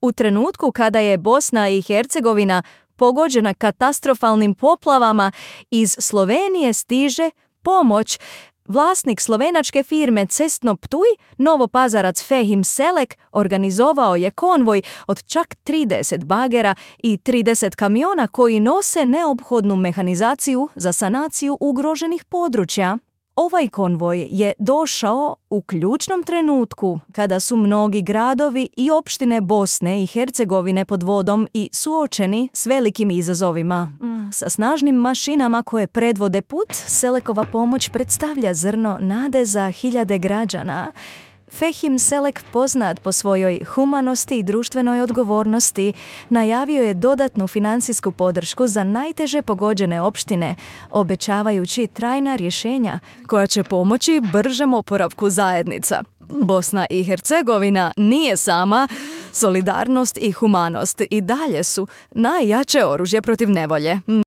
U trenutku kada je Bosna i Hercegovina pogođena katastrofalnim poplavama, iz Slovenije stiže pomoć. Vlasnik slovenačke firme Cestno Ptuj, Novopazarac Fehim Selek, organizovao je konvoj od čak 30 bagera i 30 kamiona koji nose neophodnu mehanizaciju za sanaciju ugroženih područja. Ovaj konvoj je došao u ključnom trenutku kada su mnogi gradovi i opštine Bosne i Hercegovine pod vodom i suočeni s velikim izazovima. Sa snažnim mašinama koje predvode put, Selekova pomoć predstavlja zrno nade za hiljade građana. Fehim Selek, poznat po svojoj humanosti i društvenoj odgovornosti, najavio je dodatnu financijsku podršku za najteže pogođene opštine, obećavajući trajna rješenja koja će pomoći bržem oporavku zajednica. Bosna i Hercegovina nije sama, solidarnost i humanost i dalje su najjače oružje protiv nevolje.